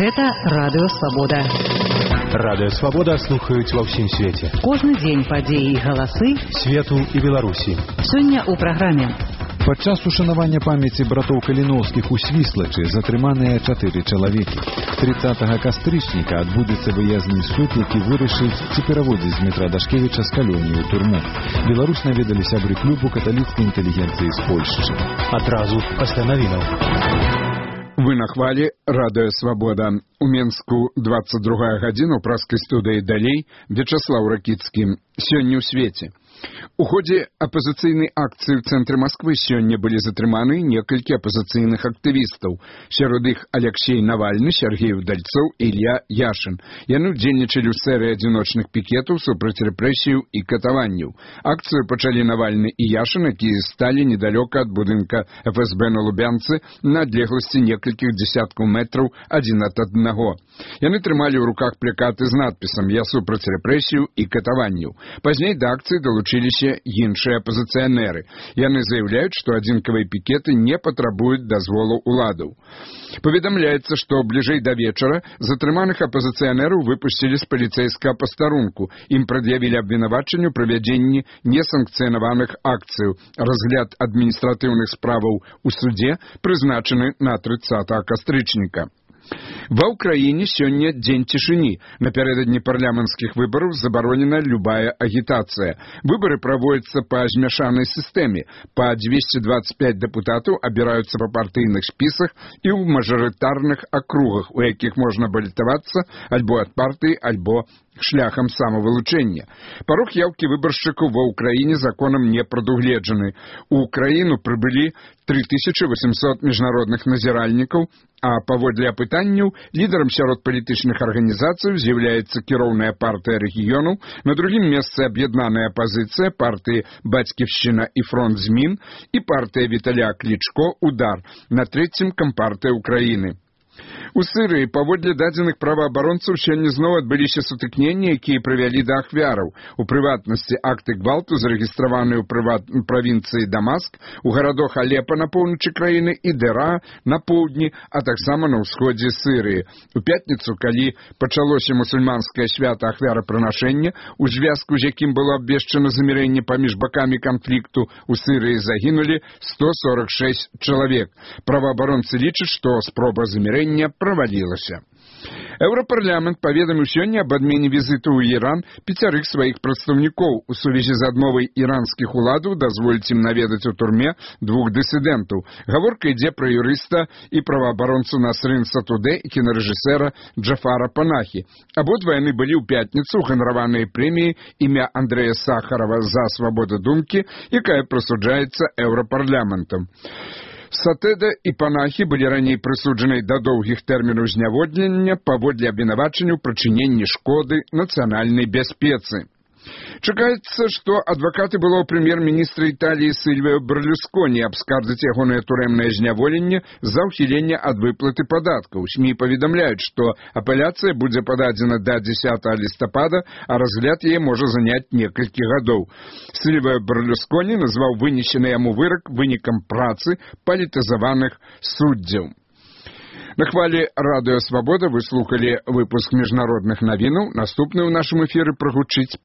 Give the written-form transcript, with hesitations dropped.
Гэта Радыё Свабода. Радыё Свабода слухаюць ва ўсім свеце. Кожны дзень падзеі і галасы свету і Беларусі. Сёння ў праграме. Падчас ушанавання памяці братоў Каліноўскіх у Свіслачы затрыманыя 4 чалавекі. 30 кастрычніка адбудзецца выязны суд, які вырашыць, ці пераводзіць Дмітра Дашкевіча з калоніі ў турму. Беларусь наведалі сябры клубу каталіцкай інтэлігенцыі з Польшчы. Адразу пасля навінаў. Вы на хвалі Радыё Свабода. У Менску 22 гадзіна ў праскай студыі далей Вячаслаў Ракіцкі. Сёння ў свеце. У ходзе апазіцыйнай акцыі ў цэнтры Масквы сёння былі затрыманы некалькі апазіцыйных актывістаў. Сярод іх Алексей Навальны, Сергей Удальцоў і Ілья Яшин. Яны ўдзельнічалі ў серыі адзіночных пікетаў супраць рэпрэсіяў і катаванняў. Акцыю пачалі Навальны і Яшин, якія сталі недалёка ад будынка ФСБ на Лубянцы на адлегласці некалькіх дзесяткаў метраў адзін ад аднаго. Яны трымалі ў руках плакаты з надпісам «Я супраць рэпрэсіяў і катаванняў». Пазней да акцыі далучыліся іншыя апазіцыянеры. Яны заяўляюць, што адзінкавыя пікеты не патрабуюць дазволу ўладаў. Паведамляецца, што бліжэй да вечара затрыманых апазіцыянераў выпусцілі з паліцэйскага пастарунку. Ім прад'явілі абвінавачанне ў правядзенні несанкцыянаваных акцыяў. Разгляд адміністратыўных справаў у судзе прызначаны на 30 кастрычніка. Ва ўкраіне сёння дзень цішыні. Напярэдадні парламенцкіх выбараў забаронена любая агітацыя. Выбары праводзяцца па змяшанай сістэме. Па 225 дэпутатаў абіраюцца па партыйных спісах і ў мажарытарных акругах, у якіх можна балітавацца альбо ад партыі, альбо шляхам самавылучэння. Парог яўкі выбаршчыкаў ва ўкраіне законам не прадугледжаны. У ўкраіну прыбылі 3800 міжнародных назіральнікаў, а паводле апытанняў лідарам сярод палітычных арганізацый з'яўляецца кіроўная партыя рэгіёнаў, на другім месцы аб'яднаная апазіцыя, партыі «Бацьківшчына» і «Фронт змін» і партыя Віталя Клічко «Удар», на трэцім кампартыя ўкраіны. У Сырыі паводле дадзеных праваабаронцаў сёння зноў адбыліся сутыкненні, якія прывялі да ахвяраў. У прыватнасці акты гвалту зарэгістраваныя ў правінцыі Дамаск, у гарадах Алепа на поўначы краіны і Дэра на поўдні, а таксама на ўсходзе Сырыі. У пятніцу, калі пачалося мусульманскае свята ахвярапрынашэння, у звязку з якім было абвешчана замірэнне паміж бакамі канфлікту, у Сырыі загінулі 146 чалавек. Праваабаронцы лічаць, што спроба замірэння правалілася. Еўрапарламент паведаміў сёння аб адмене візіту ў Іран 5 сваіх прадстаўнікоў у сувязі з адмовай іранскіх уладаў дазволіць ім наведаць у турме 2 дысідэнтаў. Гаворка ідзе пра юрыста і праваабаронцу Насрын Сатудэ і кінарэжысэра Джафара Панахі. Абодва яны былі ў пятніцу ганараваныя прэміяй імя Андрэя Сахарова за свабоду думкі, якая прысуджаецца еўрапарламентам. Сатэда і Панахі былі раней прысуджаныя да доўгіх тэрмінаў зняводнення паводле абвінавачання ў прычыненні шкоды нацыянальнай бяспецы. Чакаецца, што адвакаты былого прэм'ер-міністра Італіі Сільвіо Берлусконі абскардзяць ягонае турэмнае зняволенне за ўхіленне ад выплаты падаткаў. СМІ паведамляюць, што апеляцыя будзе пададзена да 10 лістапада, а разгляд яе можа заняць некалькі гадоў. Сільвіо Берлусконі назваў вынесены яму вырак вынікам працы палітызаваных суддзяў. На хвалі Радыё Свабода вы слухалі выпуск міжнародных навінаў. Наступны ў нашым эфіры прагучыць